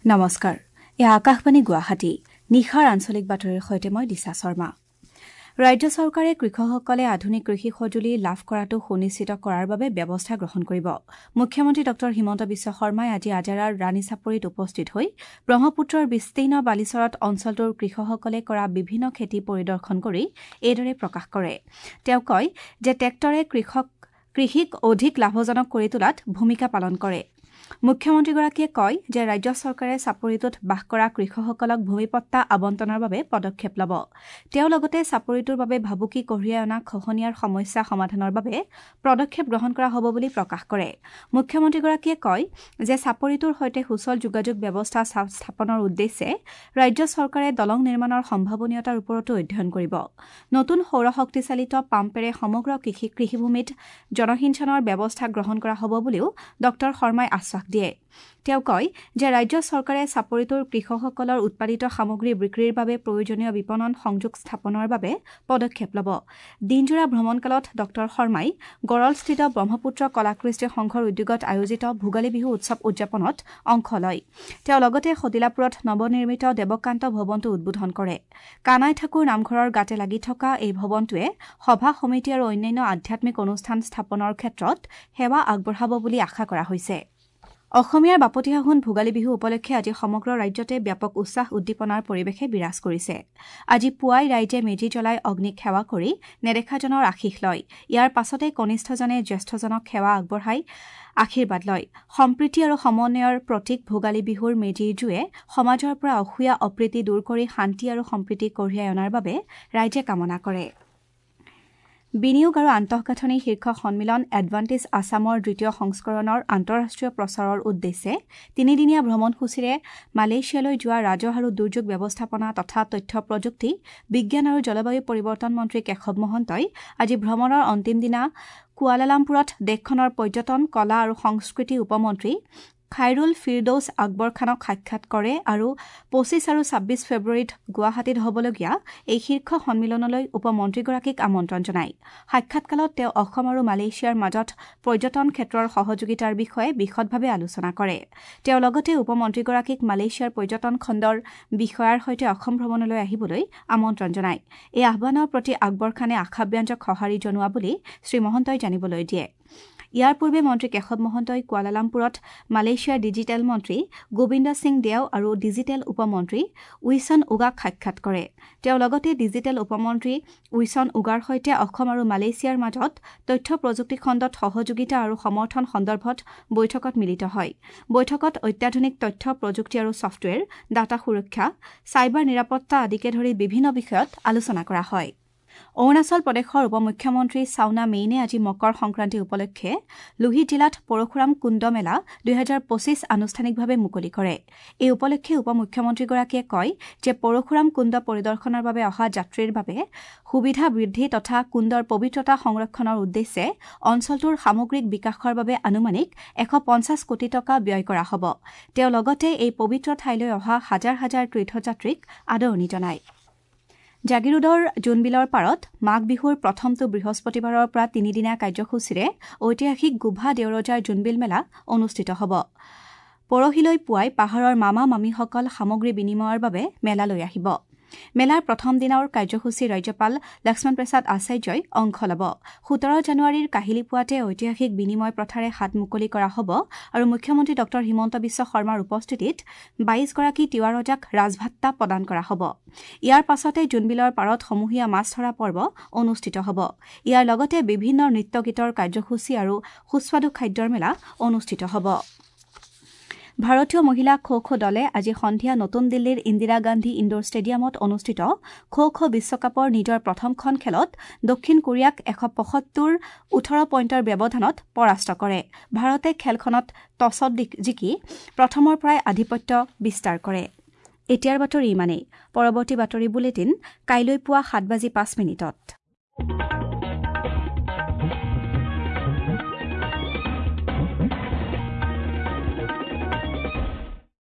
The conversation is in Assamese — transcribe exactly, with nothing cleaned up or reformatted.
নমস্কাৰ, এয়া আকাশবাণী গুৱাহাটী। নিশাৰ আঞ্চলিক বাতৰিৰ সৈতে মই দিশা শৰ্মা। ৰাজ্য চৰকাৰে কৃষকসকলে আধুনিক কৃষি সঁজুলি লাভ কৰাটো সুনিশ্চিত কৰাৰ বাবে ব্যৱস্থা গ্ৰহণ কৰিব। মুখ্যমন্ত্ৰী ডঃ হিমন্ত বিশ্ব শৰ্মাই আজি আজাৰাৰ ৰাণীচাপৰিত উপস্থিত হৈ ব্ৰহ্মপুত্ৰৰ বিস্তীৰ্ণ বালিচৰত অঞ্চলটোৰ কৃষকসকলে কৰা বিভিন্ন খেতি পৰিদৰ্শন কৰি এইদৰে প্ৰকাশ কৰে। তেওঁ কয় যে ট্ৰেক্টৰে কৃষক কৃষিক অধিক লাভজনক কৰি তোলাত ভূমিকা পালন কৰে। মুখ্যমন্ত্ৰীগৰাকীয়ে কয় যে ৰাজ্য চৰকাৰে চাপৰিটোত বাস কৰা কৃষকসকলক ভূমিপট্টা আবণ্টনৰ বাবে পদক্ষেপ ল'ব। তেওঁ লগতে চাপৰিটোৰ বাবে ভাবুকি কঢ়িয়াই অনা খহনীয়াৰ সমস্যা সমাধানৰ বাবে পদক্ষেপ গ্ৰহণ কৰা হ'ব বুলি প্ৰকাশ কৰে। মুখ্যমন্ত্ৰীগৰাকীয়ে কয় যে চাপৰিটোৰ সৈতে সুচল যোগাযোগ ব্যৱস্থা স্থাপনৰ উদ্দেশ্যে ৰাজ্য চৰকাৰে দলং নিৰ্মাণৰ সম্ভাৱনীয়তাৰ ওপৰতো অধ্যয়ন কৰিব। নতুন সৌৰশক্তিচালিত পাম্পেৰে সমগ্ৰ কৃষি কৃষিভূমিত জলসিঞ্চনৰ ব্যৱস্থা গ্ৰহণ কৰা হ'ব বুলিও ডঃ শৰ্মাই আশ্বাস দিয়ে। তেওঁ কয় যে ৰাজ্য চৰকাৰে চাপৰিটোৰ কৃষকসকলৰ উৎপাদিত সামগ্ৰী বিক্ৰীৰ বাবে প্ৰয়োজনীয় বিপণন সংযোগ স্থাপনৰ বাবে পদক্ষেপ ল'ব। দিনজোৰা ভ্ৰমণকালত ডঃ শৰ্মাই গড়লস্থিত ব্ৰহ্মপুত্ৰ কলাকৃষ্টি সংঘৰ উদ্যোগত আয়োজিত ভোগালী বিহু উৎসৱ উদযাপনত অংশ লয়। তেওঁ লগতে সদিলাপুৰত নৱনিৰ্মিত দেৱকান্ত ভৱনটো উদ্বোধন কৰে। কানাই ঠাকুৰ নামঘৰৰ গাতে লাগি থকা এই ভৱনটোৱে সভা সমিতি আৰু অন্যান্য আধ্যাত্মিক অনুষ্ঠান স্থাপনৰ ক্ষেত্ৰত সেৱা আগবঢ়াব বুলি আশা কৰা হৈছে। অসমীয়াৰ বাপতিসাহোন ভোগালী বিহু উপলক্ষে আজি সমগ্ৰ ৰাজ্যতে ব্যাপক উৎসাহ উদ্দীপনাৰ পৰিৱেশে বিৰাজ কৰিছে। আজি পুৱাই ৰাইজে মেজি জ্বলাই অগ্নিক সেৱা কৰি নেদেখাজনৰ আশীষ লয়। ইয়াৰ পাছতে কনিষ্ঠজনে জ্যেষ্ঠজনক সেৱা আগবঢ়াই আশীৰ্বাদ লয়। সম্প্ৰীতি আৰু সমন্বয়ৰ প্ৰতীক ভোগালী বিহুৰ মেজিৰ জুয়ে সমাজৰ পৰা অসূয়া অপ্ৰীতি দূৰ কৰি শান্তি আৰু সম্প্ৰীতি কঢ়িয়াই অনাৰ বাবে ৰাইজে কামনা কৰে। বিনিয়োগ আৰু আন্তঃগাঁথনি শীৰ্ষ সন্মিলন এডভান্টেজ আছামৰ দ্বিতীয় সংস্কৰণৰ আন্তঃৰাষ্ট্ৰীয় প্ৰচাৰৰ উদ্দেশ্যে তিনিদিনীয়া ভ্ৰমণসূচীৰে মালয়েছিয়ালৈ যোৱা ৰাজহ আৰু দুৰ্যোগ ব্যৱস্থাপনা তথা তথ্য প্ৰযুক্তি, বিজ্ঞান আৰু জলবায়ু পৰিৱৰ্তন মন্ত্ৰী কেশৱ মহন্তই আজি ভ্ৰমণৰ অন্তিম দিনা কুৱালালামপুৰত দেশখনৰ পৰ্যটন, কলা আৰু সংস্কৃতি উপমন্ত্ৰী খাইৰুল ফিৰদৌছ আকবৰ খানক সাক্ষাৎ কৰে আৰু পঁচিছ আৰু ছাব্বিছ ফেব্ৰুৱাৰীত গুৱাহাটীত হ'বলগীয়া এই শীৰ্ষ সন্মিলনলৈ উপমন্ত্ৰীগৰাকীক আমন্ত্ৰণ জনায়। সাক্ষাৎকালত তেওঁ অসম আৰু মালয়েছিয়াৰ মাজত পৰ্যটন ক্ষেত্ৰৰ সহযোগিতাৰ বিষয়ে বিশদভাৱে আলোচনা কৰে। তেওঁ লগতে উপমন্ত্ৰীগৰাকীক মালয়েছিয়াৰ পৰ্যটন খণ্ডৰ বিষয়াৰ সৈতে অসম ভ্ৰমণলৈ আহিবলৈ আমন্ত্ৰণ জনায়। এই আহ্বানৰ প্ৰতি আকবৰ খানে আশাব্যঞ্জক সঁহাৰি জনোৱা বুলি শ্ৰীমহন্তই জানিবলৈ দিয়ে। ইয়াৰ পূৰ্বে মন্ত্ৰী কেশৱ মহন্তই কুৱালালামপুৰত মালয়েছিয়াৰ ডিজিটেল মন্ত্ৰী গোবিন্দ সিং দেও আৰু ডিজিটেল উপমন্ত্ৰী উইছন উগাক সাক্ষাৎ কৰে। তেওঁ লগতে ডিজিটেল উপমন্ত্ৰী উইছন উগাৰ সৈতে অসম আৰু মালয়েছিয়াৰ মাজত তথ্য প্ৰযুক্তি খণ্ডত সহযোগিতা আৰু সমৰ্থন সন্দৰ্ভত বৈঠকত মিলিত হয়। বৈঠকত অত্যাধুনিক তথ্য প্ৰযুক্তি আৰু ছফ্টৱেৰ, ডাটা সুৰক্ষা, চাইবাৰ নিৰাপত্তা আদিকে ধৰি বিভিন্ন বিষয়ত আলোচনা কৰা হয়। অৰুণাচল প্ৰদেশৰ উপমুখ্যমন্ত্ৰী চাওনা মেইনে আজি মকৰ সংক্ৰান্তি উপলক্ষে লোহিত জিলাত পৰশুৰাম কুণ্ড মেলা দুহেজাৰ পঁচিছ আনুষ্ঠানিকভাৱে মুকলি কৰে। এই উপলক্ষে উপমুখ্যমন্ত্ৰীগৰাকীয়ে কয় যে পৰশুৰাম কুণ্ড পৰিদৰ্শনৰ বাবে অহা যাত্ৰীৰ বাবে সুবিধা বৃদ্ধি তথা কুণ্ডৰ পবিত্ৰতা সংৰক্ষণৰ উদ্দেশ্যে অঞ্চলটোৰ সামগ্ৰিক বিকাশৰ বাবে আনুমানিক এশ পঞ্চাছ কোটি টকা ব্যয় কৰা হ'ব। তেওঁ লগতে এই পবিত্ৰ ঠাইলৈ অহা হাজাৰ হাজাৰ তীৰ্থযাত্ৰীক আদৰণি জনায়। জাগিৰোডৰ জোনবিলৰ পাৰত মাঘ বিহুৰ প্ৰথমটো বৃহস্পতিবাৰৰ পৰা তিনিদিনীয়া কাৰ্যসূচীৰে ঐতিহাসিক গোভা দেওৰজাৰ জোনবিল মেলা অনুষ্ঠিত হ'ব। পৰহিলৈ পুৱাই পাহাৰৰ মামা মামীসকল সামগ্ৰী বিনিময়ৰ বাবে মেলালৈ আহিব। মেলাৰ প্ৰথম দিনৰ কাৰ্যসূচী ৰাজ্যপাল লক্ষ্মণ প্ৰসাদ আচাৰ্যই অংশ ল'ব। সোতৰ জানুৱাৰীৰ কাহিলী পুৱাতে ঐতিহাসিক বিনিময় প্ৰথাৰে হাত মুকলি কৰা হ'ব আৰু মুখ্যমন্ত্ৰী ডঃ হিমন্ত বিশ্ব শৰ্মাৰ উপস্থিতিত বাইশগৰাকী তিৱা ৰজাক ৰাজভাট্টা প্ৰদান কৰা হ'ব। ইয়াৰ পাছতে জোনবিলৰ পাৰত সমূহীয়া মাছ ধৰা পৰ্ব অনুষ্ঠিত হ'ব। ইয়াৰ লগতে বিভিন্ন নৃত্য গীতৰ কাৰ্যসূচী আৰু সুস্বাদু খাদ্যৰ মেলা অনুষ্ঠিত হ'ব। ভাৰতীয় মহিলা খো খো দলে আজি সন্ধিয়া নতুন দিল্লীৰ ইন্দিৰা গান্ধী ইণ্ডোৰ ষ্টেডিয়ামত অনুষ্ঠিত খো খো বিশ্বকাপৰ নিজৰ প্ৰথমখন খেলত দক্ষিণ কোৰিয়াক এশ পঁসত্তৰ ওঠৰ পইণ্টৰ ব্যৱধানত পৰাস্ত কৰে। ভাৰতে খেলখনত টছত জিকি প্ৰথমৰ পৰাই আধিপত্য বিস্তাৰ কৰে। এতিয়াৰ বাতৰি ইমানেই। পৰৱৰ্তী বাতৰি বুলেটিন কাইলৈ পুৱা সাত বাজি পাঁচ মিনিটত।